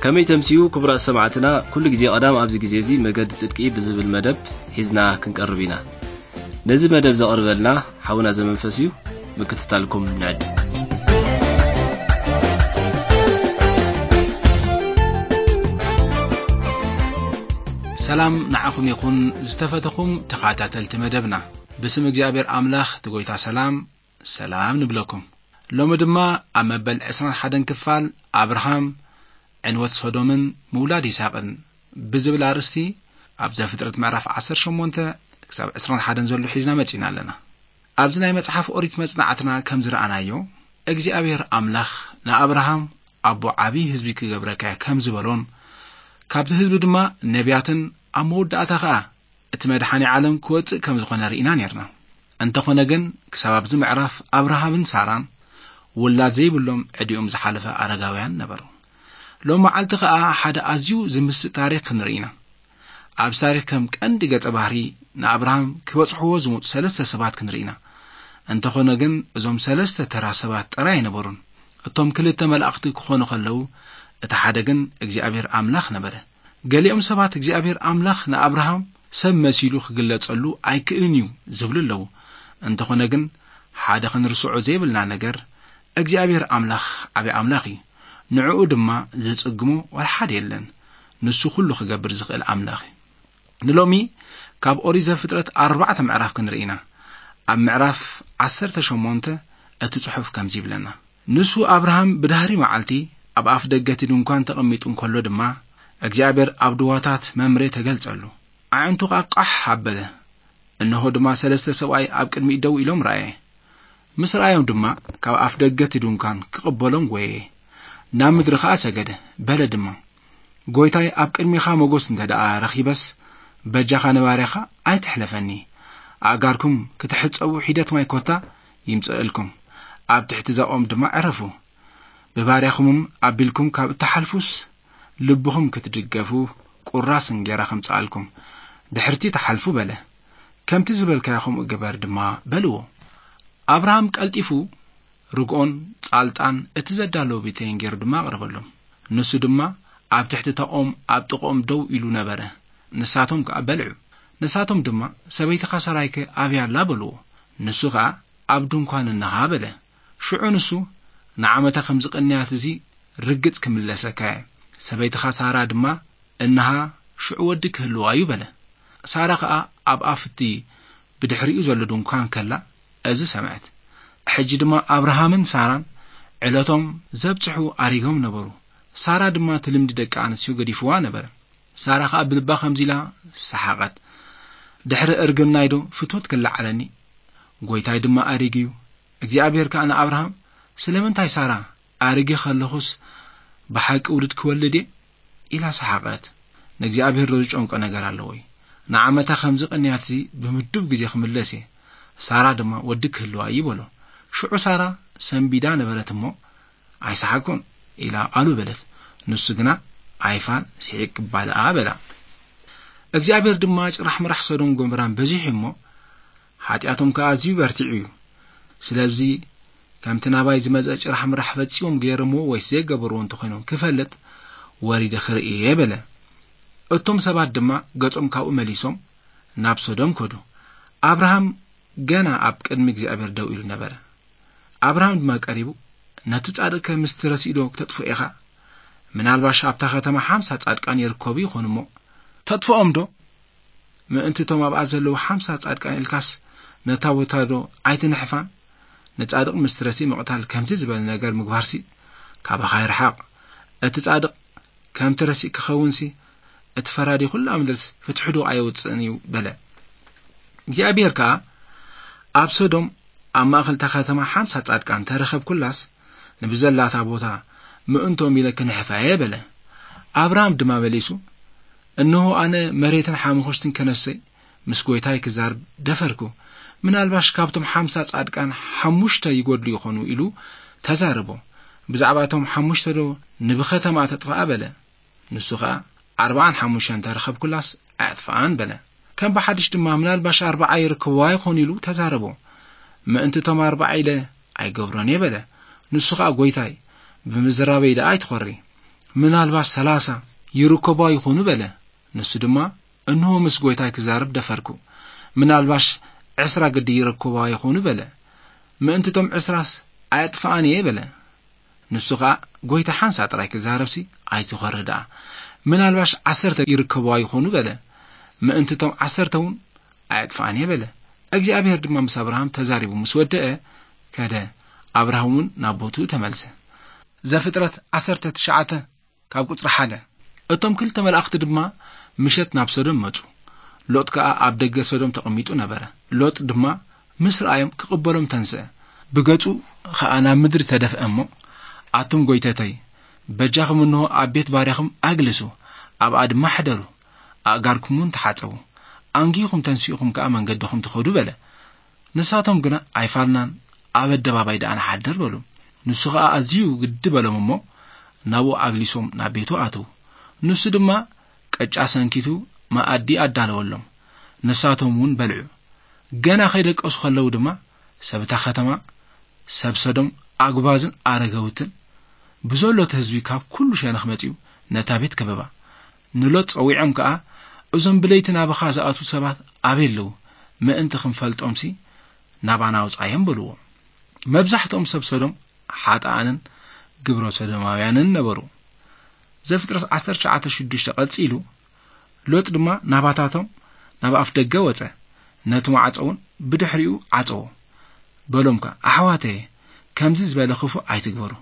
ከመይ ተምስዩ ክቡራት ሰማዕትና፣ ኩሉ ግዜ ቀዳም ኣብዚ ግዜ እዚ መገዲ ጽድቂ ብዝብል መደብ ሒዝና ክንቀርብ ኢና። ነዚ መደብ ዘቕርበልና ሓውና ዘመንፈስ እዩ። ምክትታልኩም ንዕድ። ሰላም ንዓኹም ይኹን፣ ዝተፈተኹም ተኸታተልቲ መደብና። ብስም እግዚኣብሔር ኣምላኽ እቲ ጐይታ ሰላም፣ ሰላም ንብለኩም። ሎሚ ድማ ኣብ መበል ዕስራን ሓደን ክፋል ኣብርሃም ዕንወት ሶዶምን ምውላድ ይስሐቅን ብዝብል ኣርእስቲ ኣብ ዘፍጥረት ምዕራፍ ዓሰርተ ሸሞንተ ክሳብ ዕስራን ሓደን ዘሎ ሒዝና መጺና ኣለና። ኣብዚ ናይ መጽሓፍ ኦሪት መጽናዕትና ከም ዝረኣናዮ፣ እግዚኣብሔር ኣምላኽ ንኣብርሃም ኣቦ ዓብዪ ህዝቢ ክገብረካ እየ ከም ዝበሎን ካብቲ ህዝቢ ድማ ነቢያትን ኣብ መወዳእታ ኸኣ እቲ መድሓኒ ዓለም ክወጽእ ከም ዝኾነ ርኢና ኔርና። እንተኾነ ግን ክሳብ ኣብዚ ምዕራፍ ኣብርሃምን ሳራን ውላድ ዘይብሎም ዕድሚኦም ዝሓለፈ ኣረጋውያን ነበሩ። ሎም መዓልቲ ኸኣ ሓደ ኣዝዩ ዝምስጥ ታሪኽ ክንርኢ ኢና። ኣብዚ ታሪኽ ከም ቀንዲ ገጸ ባህሪ ንኣብርሃም ክበጽሕዎ ዝመጹ ሰለስተ ሰባት ክንርኢ ኢና። እንተኾነ ግን እዞም ሰለስተ ተራ ሰባት ጥራይ ኣይነበሩን። እቶም ክልተ መላእኽቲ ክኾኑ ከለዉ፣ እቲ ሓደ ግን እግዚኣብሔር ኣምላኽ ነበረ። ገሊኦም ሰባት እግዚኣብሔር ኣምላኽ ንኣብርሃም ሰብ መሲሉ ክግለጸሉ ኣይክእልን እዩ ዝብሉ ኣለዉ። እንተኾነ ግን ሓደ ክንርስዖ ዘይብልና ነገር እግዚኣብሔር ኣምላኽ ዓቢ ኣምላኽ እዩ። ንዕኡ ድማ ዝጽግሞ ዋላ ሓደ የለን። ንሱ ኩሉ ክገብር ዝኽእል ኣምላኽ እዩ። ንሎሚ ካብ ኦሪት ዘፍጥረት ኣርባዕተ ምዕራፍ ክንርኢ ኢና። ኣብ ምዕራፍ ዓሰርተ ሸሞንተ እቲ ጽሑፍ ከምዚ ይብለና። ንሱ ኣብርሃም ብዳህሪ መዓልቲ ኣብ ኣፍ ደገ እቲ ድንኳን ተቐሚጡ እንከሎ ድማ እግዚኣብሔር ኣብ ድዋታት መምሬ ተገልጸሉ። ኣዒንቱ ኸኣ ቃሕ ኣበለ። እንሆ ድማ ሰለስተ ሰብኣይ ኣብ ቅድሚኡ ደው ኢሎም ረኣየ። ምስ ረኣዮም ድማ ካብ ኣፍ ደገ እቲ ድንኳን ክቕበሎም ጐየየ። ናብ ምድሪ ኸኣ ሰገደ። በለ ድማ፣ ጐይታይ ኣብ ቅድሚኻ ሞገስ እንተ ደኣ ረኺበስ በጃኻ ንባርያኻ ኣይትሕለፈኒ። ኣእጋርኩም ክትሕጸቡ ሒደት ማይ ኮታ ይምጽእልኩም። ኣብ ትሕቲ ዛኦም ድማ ዕረፉ። ብባርያኹምም ኣቢልኩም ካብ እትሓልፉስ ልብኹም ክትድገፉ ቁራስ እንጌራ ከምጽኣልኩም ድሕርቲ ትሓልፉ በለ። ከምቲ ዝበልካዮ ከምኡ ግበር ድማ በልዎ። ኣብርሃም ቀልጢፉ ርግኦን ጻልጣን እቲ ዘዳለዎ ቢተይን ገይሩ ድማ ኣቕረበሎም። ንሱ ድማ ኣብ ትሕቲ እታ ኦም ኣብ ጥቕኦም ደው ኢሉ ነበረ። ንሳቶም ከኣ በልዑ። ንሳቶም ድማ ሰበይትኻ ሰራይከ ኣበይ ኣላ በልዎ። ንሱ ኸኣ ኣብ ድንኳን እንሃ በለ። ሽዑ ንሱ ንዓመታ ከም ዝቐንያት እዚ ርግጽ ክምለሰካ እየ። ሰበይትኻ ሳራ ድማ እንሃ ሽዑ ወዲ ክህልዋ እዩ በለ። ሳራ ኸኣ ኣብ ኣፍቲ ብድሕሪኡ ዘሎ ድንኳን ከላ እዚ ሰምዐት። ሕጂ ድማ ኣብርሃምን ሳራን ዕለቶም ዘብጽሑ ኣሪጎም ነበሩ። ሳራ ድማ እቲ ልምዲ ደቂ ኣንስትዮ ገዲፍዋ ነበረ። ሳራ ኸኣ ብልባ ከምዚ ኢላ ሰሓቐት፣ ድሕሪ እርግናይ ዶ ፍቶት ክለዓለኒ? ጐይታይ ድማ ኣሪጉ እዩ። እግዚኣብሔር ከኣ ንኣብርሃም፣ ስለምንታይ ሳራ ኣሪገ ከለኹስ ብሓቂ ውሉድ ክወልድ እየ? ኢላ ሰሓቐት። ንእግዚኣብሔር ዶ ዝጨንቆ ነገር ኣለዎ እዩ? ንዓመታ ከምዚ ቅንያትዚ ብምዱብ ግዜ ክምለስ እየ። ሳራ ድማ ወዲ ክህልዋ እዩ በሎ። ሽዑ ሳራ ሰንቢዳ ነበረት እሞ፣ ኣይሰሓቅኩን ኢላ ኣሉ በለት። ንሱ ግና፣ ኣይፋል፣ ስሒቅ እባ ደኣ በላ። እግዚኣብሔር ድማ ጭራሕ ምራሕ ሶዶም ጎመራን በዚሑ እሞ፣ ሓጢኣቶም ከኣ ኣዝዩ በርቲዑ እዩ። ስለዚ ከምቲ ናባይ ዝመጸ ጭራሕ ምራሕ ፈጺሞም ገይሮምዎ ወይስ ዘይገበርዎ እንተኾይኖም ክፈልጥ ወሪደ ክርኢ እየ በለ። እቶም ሰባት ድማ ገጾም ካብኡ መሊሶም ናብ ሶዶም ከዱ። ኣብርሃም ገና ኣብ ቅድሚ እግዚኣብሔር ደው ኢሉ ነበረ። ኣብርሃም ድማ ቀሪቡ፣ ነቲ ጻድቕከ ምስቲ ረሲእ ዶ ክተጥፍኦ ኢኻ? ምናልባሽ ኣብታ ከተማ ሓምሳ ጻድቃን ይርከቡ ይኾኑ እሞ፣ ተጥፍኦም ዶ? ምእንቲ እቶም ኣብኣ ዘለዉ ሓምሳ ጻድቃን ኢልካስ ነታ ቦታ ዶ ኣይትንሕፋን? ንጻድቕ ምስቲ ረሲእ ምቕታል ከምዚ ዝበለ ነገር ምግባርሲ ካባኻ ይርሓቕ። እቲ ጻድቕ ከምቲ ረሲእ ክኸውንሲ፣ እቲ ፈራዲ ኩላ ምድርስ ፍትሒ ዶ ኣየውጽእን እዩ? በለ። እግዚኣብሔር ከኣ፣ ኣብ ሶዶም ኣብ ማእከል እታ ከተማ ሓምሳ ጻድቃን ተረኸብኩላስ፣ ንብዘላታ ቦታ ምእንቶም ኢለ ክንሕፋ እየ በለ። ኣብርሃም ድማ መሊሱ፣ እንሆ ኣነ መሬትን ሓመኹሽትን ከነሰይ ምስ ጐይታይ ክዛረብ ደፈርኩ። ምናልባሽ ካብቶም ሓምሳ ጻድቃን ሓሙሽተ ይጎድሉ ይኾኑ ኢሉ ተዛረቦ። ብዛዕባ እቶም ሓሙሽተ ዶ ንብኸተማ ተጥፍኣ በለ። ንሱ ኸኣ ኣርብዓን ሓሙሽተን ተረኸብኩላስ ኣየጥፍኣን በለ። ከም ብሓድሽ ድማ ምናልባሽ ኣርብዓ ይርከብዋ ይኾኑ ኢሉ ተዛረቦ። ምእንቲ እቶም ኣርብዓ ኢለ ኣይገብሮን እየ በለ። ንሱ ኸኣ ጐይታይ ብምዝራበይ ደኣ ኣይትኾሪ። ምናልባሽ ሠላሳ ይርከቧ ይኾኑ በለ። ንሱ ድማ፣ እንሆ ምስ ጐይታይ ክዛረብ ደፈርኩ። ምናልባሽ ዕስራ ግዲ ይርከቧ ይኾኑ በለ። ምእንቲ እቶም ዕስራስ ኣየጥፍኣን እየ በለ። ንሱ ኸኣ፣ ጐይታ ሓንሳእ ጥራይ ክዛረብሲ ኣይትኾሪ ደኣ። ምናልባሽ ዓሰርተ ይርከብዋ ይኾኑ በለ። ምእንቲ እቶም ዓሰርተ እውን ኣየጥፍኣን እየ በለ። እግዚኣብሔር ድማ ምስ ኣብርሃም ተዛሪቡ ምስ ወደአ ከደ። ኣብርሃም እውን ናብ ቦትኡ ተመልሰ። ዘፍጥረት ዓሰርተ ትሽዓተ ካብ ቁጽሪ ሓደ። እቶም ክልተ መላእኽቲ ድማ ምሸት ናብ ሰዶም መጹ። ሎጥ ከኣ ኣብ ደገ ሰዶም ተቐሚጡ ነበረ። ሎጥ ድማ ምስ ረኣዮም ክቕበሎም ተንስአ። ብገጹ ኸኣ ናብ ምድሪ ተደፍአ እሞ፣ ኣቱም ጐይተተይ፣ በጃኹም እንሆ ኣብ ቤት ባርያኹም ኣግልሱ፣ ኣብኣ ድማ ሕደሩ፣ ኣእጋርኩም እውን ተሓጸቡ። ኣንጊኹም ተንሲእኹም ከኣ መንገድኹም ትኸዱ በለ። ንሳቶም ግና ኣይፋልናን፣ ኣብ ኣደባባይ ደኣ ንሓድር በሉ። ንሱ ኸኣ ኣዝዩ ግዲ በሎም እሞ፣ ናብኡ ኣግሊሶም ናብ ቤቱ ኣተዉ። ንሱ ድማ ቅጫ ሰንኪቱ መኣዲ ኣዳለወሎም። ንሳቶም እውን በልዑ። ገና ከይደቀሱ ከለዉ ድማ፣ ሰብ እታ ኸተማ፣ ሰብ ሰዶም፣ ኣጉባዝን ኣረገውትን ብዘሎ እቲ ህዝቢ ካብ ኩሉ ሸነኽ መጺኡ ነታ ቤት ከበባ። ንሎጥ ጸዊዖም ከኣ፣ እዞም ብለይቲ ናባኻ ዝኣትዉ ሰባት ኣበይ ኣለዉ? ምእንቲ ክንፈልጦምሲ ናባና ኣውጻዮም በልዎ። መብዛሕትኦም ሰብ ሰዶም ሓጥኣንን ግብረ ሰዶማውያንን ነበሩ። ዘፍጥረት ዓሰርተ ትሽዓተ ሽዱሽተ ቀጺሉ፣ ሎጥ ድማ ናባታቶም ናብ ኣፍ ደገ ወጸ፣ ነቲ ማዕጾ እውን ብድሕሪኡ ዓጸዎ። በሎም ከኣ፣ ኣሕዋተየ፣ ከምዚ ዝበለ ክፉእ ኣይትግበሩ።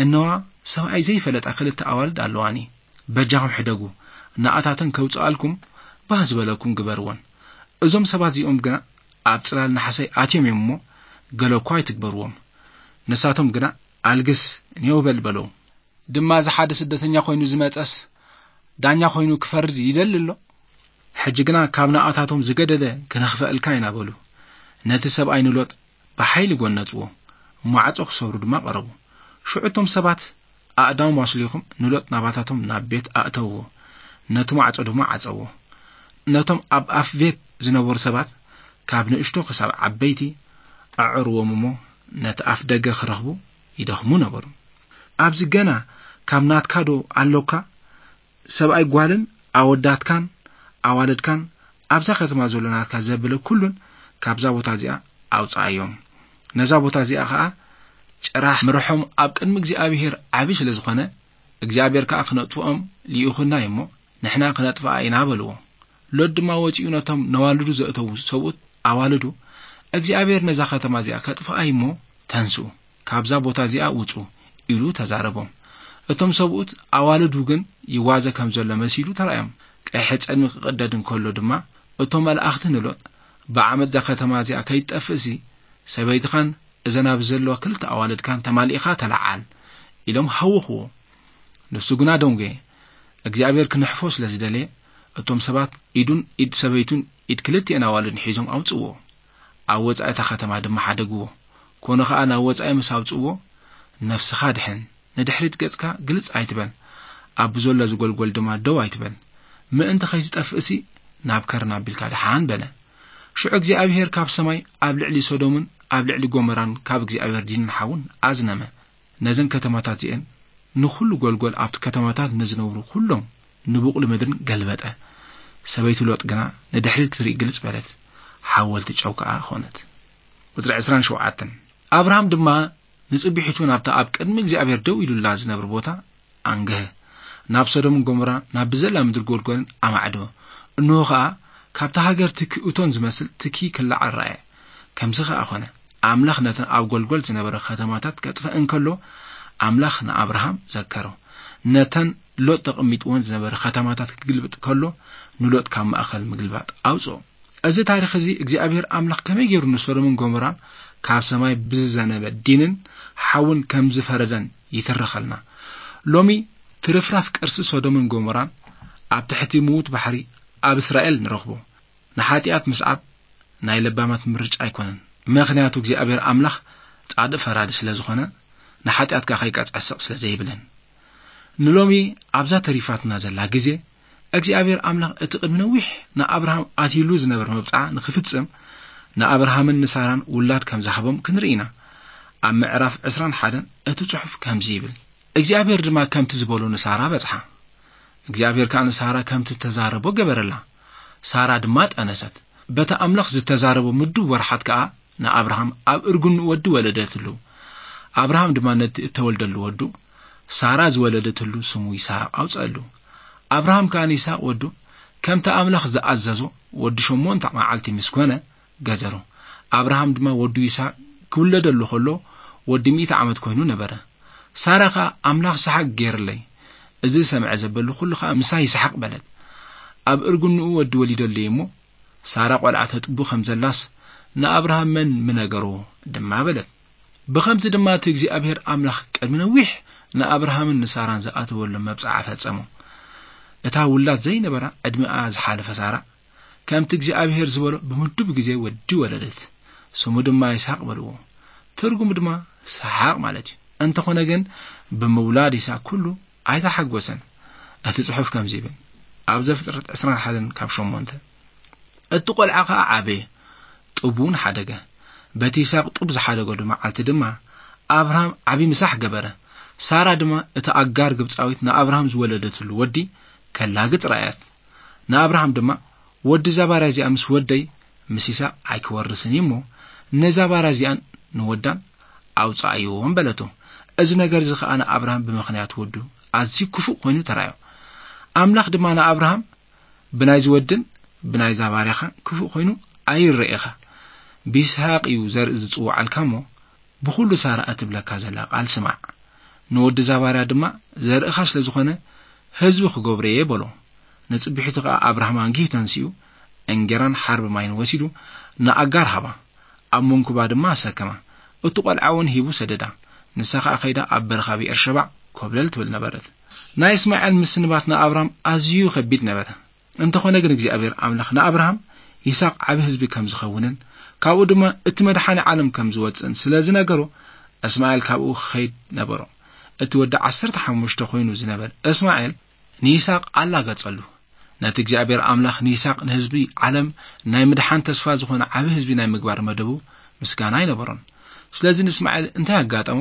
እነዋ፣ ሰብኣይ ዘይፈለጣ ክልተ ኣዋልድ ኣለዋኒ። በጃኹም ሕደጉ፣ ንኣታተን ከውጽኣልኩም ባህ ዝበለኩም ግበርወን። እዞም ሰባት እዚኦም ግና ኣብ ጽላል ናሕሰይ ኣትዮም እዮም እሞ፣ ገለ እኳ ኣይትግበርዎም። ንሳቶም ግና፣ ኣልግስ፣ ኔው በል በለዉ። ድማ እዚ ሓደ ስደተኛ ኮይኑ ዝመጸስ ዳኛ ኮይኑ ክፈርድ ይደሊ ኣሎ። ሕጂ ግና ካብ ንኣታቶም ዝገደደ ክነኽፈአልካ ኢና በሉ። ነቲ ሰብኣይ ንሎጥ ብሓይሊ ጎነጽዎ፣ ማዕጾ ክሰብሩ ድማ ቀረቡ። ሽዑ እቶም ሰባት ኣእዳዎም ኣስሊኾም ንሎጥ ናባታቶም ናብ ቤት ኣእተውዎ፣ ነቲ ማዕጾ ድማ ዓጸዎ። ነቶም ኣብ ኣፍ ቤት ዝነበሩ ሰባት ካብ ንእሽቶ ክሳብ ዓበይቲ ኣዕርዎም እሞ ነቲ ኣፍ ደገ ክረኽቡ ይደኽሙ ነበሩ። ኣብዚ ገና ካብ ናትካ ዶ ኣሎካ? ሰብኣይ ጓልን ኣወዳትካን ኣዋልድካን ኣብዛ ከተማ ዘሎ ናትካ ዘብለ ኩሉን ካብዛ ቦታ እዚኣ ኣውጽኣዮም። ነዛ ቦታ እዚኣ ኸኣ ጭራሕ ምርሖም ኣብ ቅድሚ እግዚኣብሔር ዓቢ ስለ ዝኾነ፣ እግዚኣብሔር ከኣ ክነጥፍኦም ልኢኹና እዩ እሞ፣ ንሕና ክነጥፍኣ ኢና በልዎ። ሎጥ ድማ ወጺኡ ነቶም ነዋልዱ ዘእተዉ ሰብኡት ኣዋልዱ፣ እግዚኣብሔር ነዛ ከተማ እዚኣ ከጥፍኣ እዩ እሞ፣ ተንስኡ፣ ካብዛ ቦታ እዚኣ ውጹ፣ ኢሉ ተዛረቦም። እቶም ሰብኡት ኣዋልዱ ግን ይዋዘ ከም ዘሎ መሲሉ ተራእዮም። ቀይሕ ጸልሚ ክቕደድ እንከሎ ድማ፣ እቶም መላእኽቲ ንሎጥ፣ ብዓመጽ እዛ ከተማ እዚኣ ከይትጠፍእሲ፣ ሰበይትኻን እዘን ኣብዚ ዘለዋ ክልተ ኣዋልድካን ተማሊእኻ ተለዓል፣ ኢሎም ሃወኽዎ። ንሱ ግና ደንጎየ። እግዚኣብሔር ክንሕፎ ስለ ዝደለየ፣ እቶም ሰባት ኢዱን ኢድ ሰበይቱን ኢድ ክልቲኤን ኣዋልድን ሒዞም ኣውጽእዎ። ኣብ ወጻኢ እታ ከተማ ድማ ሓደግዎ። ኮነ ኸኣ ናብ ወጻኢ ምስ ኣውጽእዎ፣ ነፍስኻ ድሕን፣ ንድሕሪት ገጽካ ግልጽ ኣይትበል፣ ኣብ ብዘሎ ዝጎልጎል ድማ ደው ኣይትበል፣ ምእንቲ ኸይትጠፍእሲ ናብ ከርና ኣቢልካ ድሓን በለ። ሽዑ እግዚኣብሔር ካብ ሰማይ ኣብ ልዕሊ ሶዶምን ኣብ ልዕሊ ጎመራን ካብ እግዚኣብሔር ዲንን ሓውን ኣዝነመ። ነዘን ከተማታት እዚኤን ንኹሉ ጎልጎል ኣብቲ ከተማታት ንዝነብሩ ኩሎም ንቡቕሊ ምድርን ገልበጠ። ሰበይቲ ሎጥ ግና ንድሕሪት ክትርኢ ግልጽ በለት፣ ሓወልቲ ጨው ከኣ ኾነት። ቁጽሪ ዕስራን ሸውዓተን። ኣብርሃም ድማ ንጽቢሒቱ ናብታ ኣብ ቅድሚ እግዚኣብሔር ደው ኢሉላ ዝነብር ቦታ ኣንገሀ። ናብ ሶዶምን ጎሞራ፣ ናብ ብዘላ ምድሪ ጎልጎልን ኣማዕደወ። እንሆ ኸኣ፣ ካብታ ሃገር ትኪ እቶን ዝመስል ትኪ ክለዓል ረኣየ። ከምዚ ኸኣ ኾነ፣ ኣምላኽ ነተን ኣብ ጎልጎል ዝነበረ ኸተማታት ከጥፍእ እንከሎ፣ ኣምላኽ ንኣብርሃም ዘከሮ። ነተን ሎጥ ተቐሚጥወን ዝነበረ ኸተማታት ክግልብጥ ከሎ፣ ንሎጥ ካብ ማእከል ምግልባጥ ኣውጽኦ። እዚ ታሪኽ እዚ እግዚኣብሔር ኣምላኽ ከመይ ገይሩ ንሶዶምን ጎሞራን ካብ ሰማይ ብዝዘነበ ዲንን ሓውን ከም ዝፈረደን ይትርኸልና። ሎሚ ትርፍራፍ ቅርሲ ሶዶምን ጎሞራን ኣብ ትሕቲ ምዉት ባሕሪ ኣብ እስራኤል ንረኽቦ። ንሓጢኣት ምስዓብ ናይ ለባማት ምርጫ ኣይኮነን። ምኽንያቱ እግዚኣብሔር ኣምላኽ ጻድቕ ፈራዲ ስለ ዝኾነ፣ ንሓጢኣት ከኣ ከይቀጽዐ ስቕ ስለ ዘይብለን። ንሎሚ ኣብዛ ተሪፋትና ዘላ ግዜ፣ እግዚኣብሔር ኣምላኽ እቲ ቅድሚ ነዊሕ ንኣብርሃም ኣትይሉ ዝነበረ መብጽዓ ንኽፍጽም፣ ንኣብርሃምን ንሳራን ውላድ ከም ዝሃቦም ክንርኢ ኢና። ኣብ ምዕራፍ ዕስራን ሓደን እቲ ጽሑፍ ከምዚ ይብል። እግዚኣብሔር ድማ ከምቲ ዝበሎ ንሳራ በጽሓ። እግዚኣብሔር ከኣ ንሳራ ከምቲ ዝተዛረቦ ገበረላ። ሳራ ድማ ጠነሰት። በቲ ኣምላኽ ዝተዛረቦ ምዱብ ወርሓት ከኣ ንኣብርሃም ኣብ እርግንኡ ወዲ ወለደትሉ። ኣብርሃም ድማ ነቲ እተወልደሉ ወዱ፣ ሳራ ዝወለደትሉ ስሙ ይስሐቅ ኣውጸአሉ። ኣብርሃም ከኣ ንይስሐቅ ወዱ፣ ከምቲ ኣምላኽ ዝኣዘዞ፣ ወዲ ሸሞንተ መዓልቲ ምስ ኮነ፣ ገዘሩ። ኣብርሃም ድማ ወዱ ይስሐቅ ክውለደሉ ከሎ፣ ወዲ ሚእቲ ዓመት ኮይኑ ነበረ። ሳራ ከኣ፣ ኣምላኽ ሰሓቅ ገይርለይ፣ እዚ ዝሰምዐ ዘበሉ ኩሉ ከኣ ምሳይ ይስሓቅ በለት። ኣብ እርግንኡ ወዲ ወሊደሉ እሞ፣ ሳራ ቆልዓ ተጥቡ ከም ዘላስ፣ ንኣብርሃም መን ምነገሮ ድማ በለት። ብኸምዚ ድማ እቲ እግዚኣብሔር ኣምላኽ ቅድሚ ነዊሕ ንኣብርሃምን ንሳራን ዝኣተወሎም መብጽዓ ፈጸሞ። እታ ውላድ ዘይነበራ ዕድሚኣ ዝሓለፈ ሳራ፣ ከምቲ እግዚኣብሔር ዝበሎ ብምዱብ ግዜ ወዲ ወለደት። ስሙ ድማ ይስሐቅ በልዎ። ትርጉሙ ድማ ሰሓቕ ማለት እዩ። እንተኾነ ግን ብምውላድ ይስሐቅ ኩሉ ኣይተሓጎሰን። እቲ ጽሑፍ ከምዚ ይብል፣ ኣብ ዘፍጥረት ዕስራን ሓደን ካብ ሸሞንተ፣ እቲ ቆልዓ ኸኣ ዓበየ፣ ጡብ እውን ሓደገ። በቲ ይስሐቅ ጡብ ዝሓደገሉ መዓልቲ ድማ ኣብርሃም ዓቢ ምሳሕ ገበረ። ሳራ ድማ እታ ኣጋር ግብጻዊት ንኣብርሃም ዝወለደትሉ ወዲ ከላግጽ ረኣያት። ንኣብርሃም ድማ፣ "ወዲ እዛ ባርያ እዚኣ ምስ ወደይ ምስ ይስሐቅ ኣይክወርስን እዩ እሞ፣ ነዛ ባርያ እዚኣን ንወዳን ኣውጽኣዮም" በለቶ። እዚ ነገር እዚ ኸኣ ንኣብርሃም ብምኽንያት ወዱ ኣዝዩ ክፉእ ኮይኑ ተራእዮ። ኣምላኽ ድማ ንኣብርሃም፣ "ብናይዚ ወድን ብናይዛ ባርያኻን ክፉእ ኮይኑ ኣይረኤኻ። ብይስሐቅ እዩ ዘርኢ ዝጽውዓልካ እሞ፣ ብኹሉ ሳራ እትብለካ ዘላ ቃል ስማዕ። ንወዲ እዛ ባርያ ድማ ዘርእኻ ስለ ዝኾነ ህዝቢ ክገብሮ እየ" በሎ። ንጽብሒቱ ኸኣ ኣብርሃም ኣንጊሁ ተንሲኡ፣ እንጌራን ሓርቢ ማይን ወሲዱ ንኣጋር ሃባ። ኣብ መንኩባ ድማ ኣሰከማ። እቲ ቆልዓ እውን ሂቡ ሰደዳ። ንሳ ኸኣ ከይዳ ኣብ በረኻ ብኤርሸባዕ ኮብለል ትብል ነበረት። ናይ እስማኤል ምስንባት ንኣብርሃም ኣዝዩ ከቢድ ነበረ። እንተኾነ ግን እግዚኣብሔር ኣምላኽ ንኣብርሃም ይስሐቅ ዓቢ ህዝቢ ከም ዝኸውንን ካብኡ ድማ እቲ መድሓኒ ዓለም ከም ዝወጽእን ስለ ዝነገሮ፣ እስማኤል ካብኡ ክኸይድ ነበሮ። እቲ ወዲ ዓሰርተ ሓሙሽተ ኮይኑ ዝነበር እስማኤል ንይስሐቅ ኣላገጸሉ። ነቲ እግዚኣብሔር ኣምላኽ ንይስሐቅ ንህዝቢ ዓለም ናይ ምድሓን ተስፋ ዝኾነ ዓቢ ህዝቢ ናይ ምግባር መደቡ ምስጋና ኣይነበሮን። ስለዚ ንእስማኤል እንታይ ኣጋጠሞ?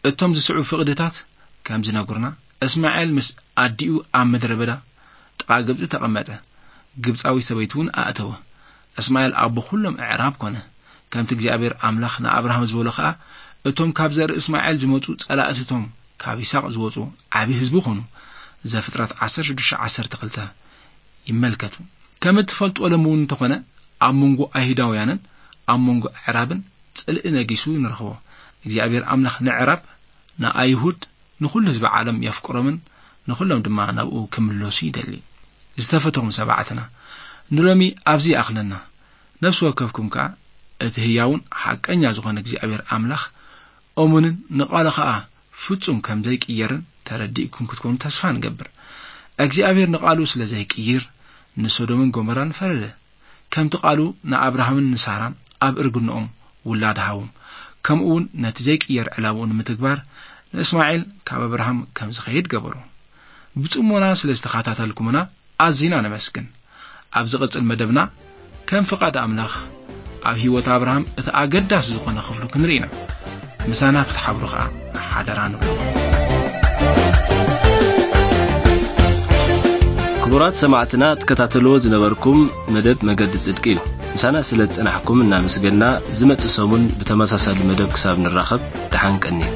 እቶም ዝስዕቡ ፍቕድታት ከም ዝነግሩና፣ እስማኤል ምስ ኣዲኡ ኣብ ምድረ በዳ ጥቓ ግብጺ ተቐመጠ። ግብጻዊ ሰበይቲ እውን ኣእተወ። እስማኤል ኣቦ ኩሎም ኣዕራብ ኮነ። ከምቲ እግዚኣብሔር ኣምላኽ ንኣብርሃም ዝበሎ ኸኣ፣ እቶም ካብ ዘርኢ እስማኤል ዝመጹ ጸላእትቶም ካብ ይስሐቅ ዝወጹ ዓቢ ህዝቢ ኮኑ። ዘፍጥረት ዓሰርተ ሽዱሽተ ዓሰርተ ክልተ ይመልከቱ። ከም እትፈልጥዎ ሎሚ እውን እንተኾነ ኣብ መንጎ ኣይሁዳውያንን ኣብ መንጎ ኣዕራብን ጽልኢ ነጊሱ ንረኽቦ። እግዚኣብሔር ኣምላኽ ንኣዕራብ፣ ንኣይሁድ፣ ንኹሉ ህዝቢ ዓለም የፍቅሮምን ንኹሎም ድማ ናብኡ ክምለሱ ይደሊ። ዝተፈተኹም ሰማዕትና፣ ንሎሚ ኣብዚ ይኣኽለና። ነፍሲ ወከፍኩም ከኣ እቲ ህያውን ሓቀኛ ዝኾነ እግዚኣብሔር ኣምላኽ እሙንን ንቓሉ ኸኣ ፍጹም ከም ዘይቅየርን ተረዲእኩም ክትኮኑ ተስፋ ንገብር። እግዚኣብሔር ንቓሉ ስለ ዘይቅይር፣ ንሶዶምን ጎመራን ፈረደ። ከምቲ ቃሉ ንኣብርሃምን ንሳራን ኣብ እርግንኦም ውላድ ሃቦም፣ ከምኡ እውን ነቲ ዘይቅየር ዕላምኡ ንምትግባር ንእስማኤል ካብ ኣብርሃም ከም ዝኸይድ ገበሮ። ብጽሞና ስለ ዝተኸታተልኩምና ኣዚና ነመስግን። ኣብ ዝቕጽል መደብና ከም ፍቓድ ኣምላኽ ኣብ ህይወት ኣብርሃም እቲ ኣገዳሲ ዝኾነ ክፍሉ ክንርኢ ኢና። ምሳና ክትሓብሩ ኸኣ ሓደራ ንብለኩም። ክቡራት ሰማዕትና፣ ትከታተልዎ ዝነበርኩም መደብ መገዲ ጽድቂ እዩ። ምሳና ስለ ዝጸናሕኩም እናመስገና፣ ዝመጽእ ሰሙን ብተመሳሳሊ መደብ ክሳብ ንራኸብ፣ ደሓን ቀንዩ።